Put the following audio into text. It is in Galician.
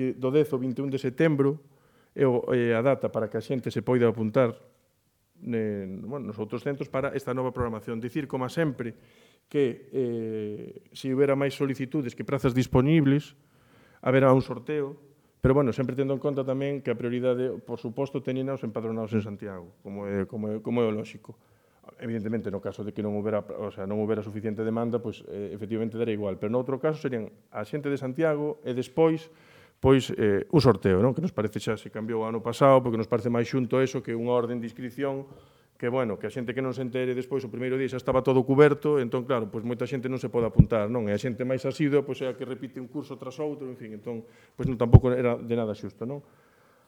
que do 10 ao 21 de setembro é a data para que a xente se poida apuntar nos outros centros para esta nova programación. Dicir, como sempre, que se houbera máis solicitudes que prazas disponibles, haberá un sorteo, pero, sempre tendo en conta tamén que a prioridade, por suposto, teñen os empadronados en Santiago, como é o lóxico. Evidentemente, no caso de que non houbera suficiente demanda, pois, efectivamente, dará igual. Pero, no outro caso, serían a xente de Santiago e despois, pois, un sorteo, non? Que nos parece xa se cambiou o ano pasado, porque nos parece máis xunto eso que unha orden de inscripción que, que a xente que non se entere despois o primeiro día xa estaba todo cuberto, entón, claro, pois moita xente non se pode apuntar, non? E a xente máis asidua, pois é a que repite un curso tras outro, en fin, entón, pois non tampouco era de nada xusto, non?